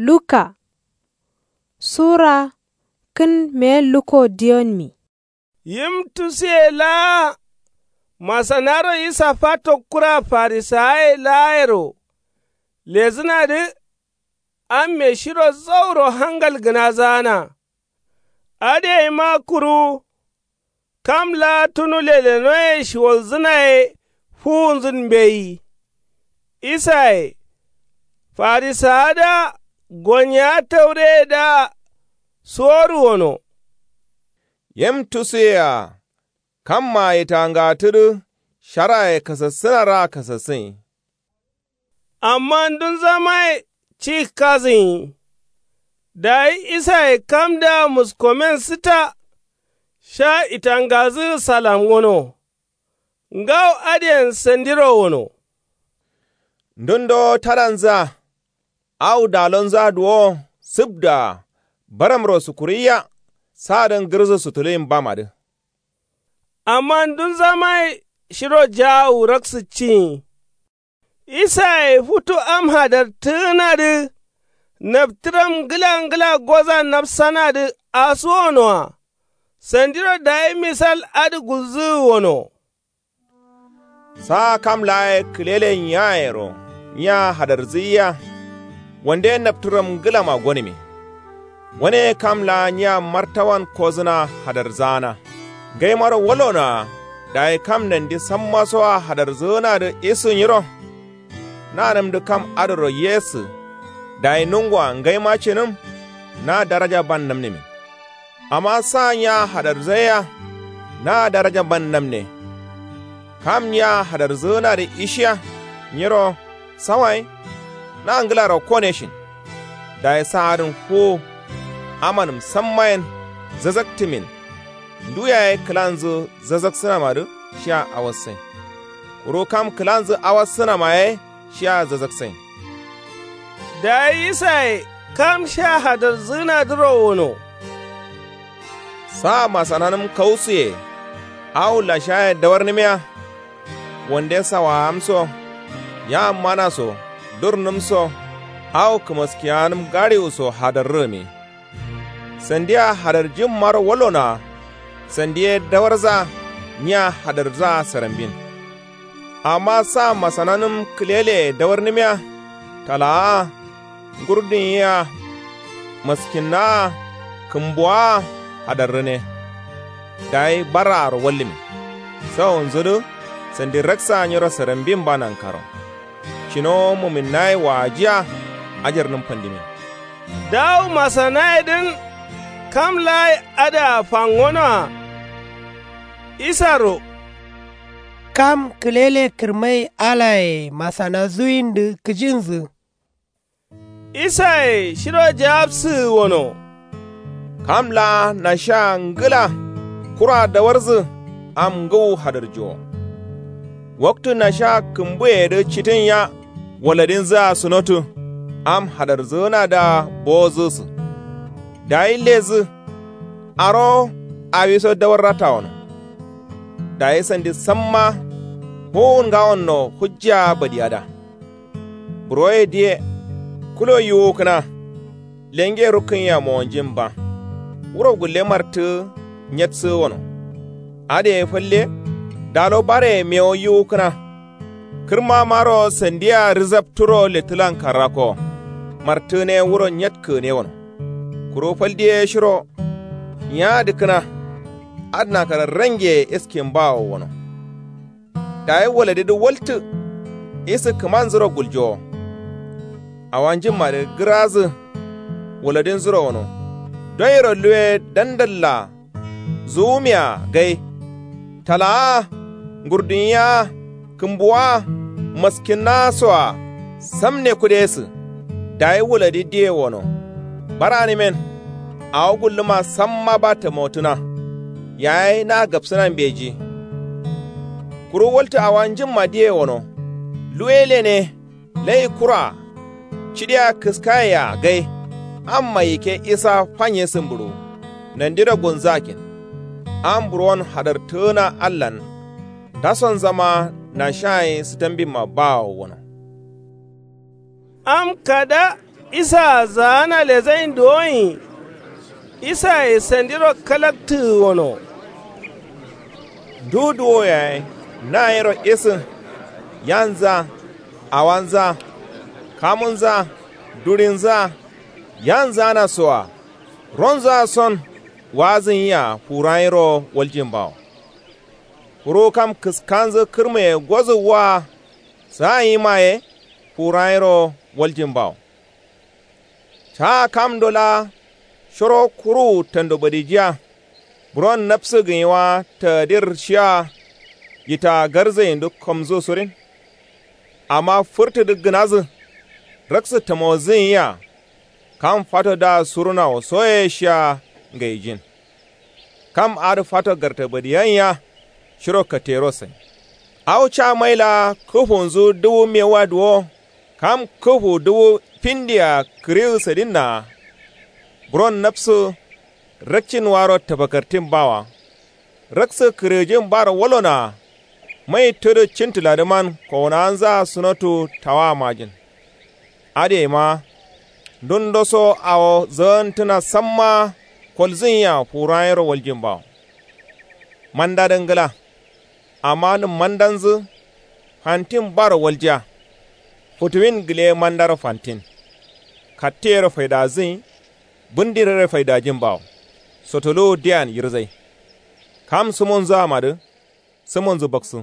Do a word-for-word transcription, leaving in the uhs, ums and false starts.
Luka sura kǝn meyen luko diyonmi. Yim tusuye laa masanaro isa fato kura farisawaye laayero lezǝnadǝ. Amme shiro zauro hangal gǝnazaana. Adǝ gaima kuru kam laa tunu lelenoye shiwalzǝna ye fuwunzǝn mbeyi. Isaye farisawadǝa gonyewa taureyedǝa suworu gano. Yim tusuyea kamma yitangatudǝ sharaye kasassǝnaraa kasassǝnyi. Amma ndunzamaye ci kazǝnyi. Dayi isaye kamdǝa muskomen sǝta sha yitangadǝgǝ salamgono. Ngawo adǝyen sandiro gano. Ndundo tadanzǝa awo dalonzǝa duwowo sǝbdǝa baramro sukuruiya. Saadǝn gǝrǝsǝ sutuluyin bamadǝ. Amma ndunzamaye shiro jaawu raksǝccinyi. Isaye futu am hadartǝgǝnadǝ naptǝram ngǝla ngǝla goza napsanadǝ asuwonoa. Sandiro dayi misal adǝ gulzǝgǝ gano. Saa kam laa ye kǝlele nyiayero nyiya hadarzǝgǝiya. Wande naptǝram ngǝlama gonǝmi. Wane kam laa nyiya martawan kozǝna hadarzaana. Ngaimaro walonoa dayi kam nandi sammasoa hadarzǝgǝnadǝ isǝ nyiro. Nanǝmdǝ kam adǝro yesǝ. Dayi nungoa ngaima cinǝm na daraja ban namnǝmin. Amma sa nyiya hadarzaiyea na daraja ban namne. Kam nyiya hadarzǝgǝnadǝ ishiya nyiro sawayin na ngǝlaro koneshin. Dayi saadǝn fuwu amanǝm samma yen zazaktǝmin. Ndu yaye kǝlanzǝ zazaksǝnamadǝ shia awassain. Kuru kam kǝlanzǝ awassǝnama ye shia zazakssain. Dayi isaye kam sha hadarzǝgǝnadǝro gano. Sa masananǝm kausuye awo lashaye dawarnǝmiya. Wande sawaam so yammana so durnǝm so awo kǝmaskiyanǝm gaɍiwu so hadarrǝgǝmi. Sandia hadarjimmaro walonoa. Sandi ye dawarza nyiya hadarzaa sarambin. Amma sa masananǝm kǝleleye dawarnǝmiya. Talaa-a ngurdunyi-a maskinnaa-a kǝmbuwaa-a hadarrǝne. Dayi barraaro wallǝmin. Sawonzudǝ sandi raksaa nyiro sarambin ba nankaro. Cinowo muminnaye waajiya ajarnǝm fandimin. Dawu masanayedǝn kam laaye adǝa fangonoa. Isaro kam kǝlele kǝrmai alaye masanazuwindǝ kǝjinzǝ. Isaye shiro jawabsǝgǝ gano. Kam laa nashaa ngǝla kura dawarzǝ am ngǝwu hadarjiwo. Waktu nasha kǝmbuyeyedǝ citǝnya waladinzǝa sǝnotǝ. Am hadarzǝgǝnadǝa bowozǝsǝ. Dayi lezǝ arowo awiso dawarra tawono. Dayi sandi samma fuwun ngawonno hujjaa badiyada. Buroye diye kulo yiwukǝna. Lenge rukkǝnyiya mowanjin ba. Wuro gulle martǝgǝ nyatsǝgǝ wono. Adǝ ye falle dalo bareye mewo yiwukǝna. Kǝrmamaro sandia rǝzapturo lettǝlan karrako. Martǝgǝne wuro nyatkǝgǝne wono. Kuru faldiye shiro nyaadǝkkǝna. Adǝ nakara rangeye iskin bawo wono. Dayi waladidǝ waltǝ isǝ kǝmanzuro guljowo. Awanjimmadǝ gǝrazǝ waladinzuro gǝno. Doyiro luwe dandalla zuwumiya gai. Talaa-a ngurdunyi-a kǝmbuwa-a maskinnaa soa samne kudesǝ. Dayi wuladi diye wono. Baranǝmen awo gulluma samma ba tamotǝna. Yayi na gapsǝna mbeji. Kuru waltǝ awanjimma diye wono. Luwe lene lai kura. Cidiya kǝskayea gai. Amma yikke isa fanye sǝmbǝɍu. Nandiro gunzǝ akkin. Am buron hadartǝgǝna allan. Ndasonzama nashaye sǝtambimma bawo wono. Am kada Isaa zaana lezain duwoin. Isaye sandiro kalaktǝgǝ wono. Ndu duwo yaye. Nayero isǝ. Yanza. Awanza. Kamunza. Durinza. Yanzana soa. Ronza son. Wazǝn yia furayiro waljin bawo. Kuru kam kǝskanzǝ kǝrmǝye gozǝ wa. Sayin maye. Furayiro waljin bawo. Caa kamdo laa. Shiro kuruwu tando badijiya. Buron nabsǝ gǝnyi wa tadir shiya. Yita garzayindu kamzu surin. Amma fǝrtǝdǝ gǝnazǝ. Raksǝ tamozǝnyiya. Kam fato da surunawo soye shiya. Ngaijin. Kam adǝ fato gartabadiyanyiya. Shiro katero sai. Au ca maila kǝfunzu duwu mewa duwo. Kam kǝfu duwu findiya kǝriwu sadinna. Buron nabsǝ. Rakcin waro tabakartin bawa. Raksǝ kǝrǝjin baro walonoa. Mai tǝdǝ cintǝladǝman kowunawanza sunotu tawa majin. Adǝ yaima. Ndundoso awo zǝgantǝna samma. Kolzǝnyiya furayiro waljin bawo. Mandadǝ ngla. Amma nǝm mandanzǝ. Fantin baro waljiya. Futuwin gǝle mandaro fantin. Katteyero faidazǝnyi. Bǝndirere faidajin bawo. Sotoluwu diyan yirzai. Kam sǝmonzǝa madǝ. Sǝmonzǝ baksǝ.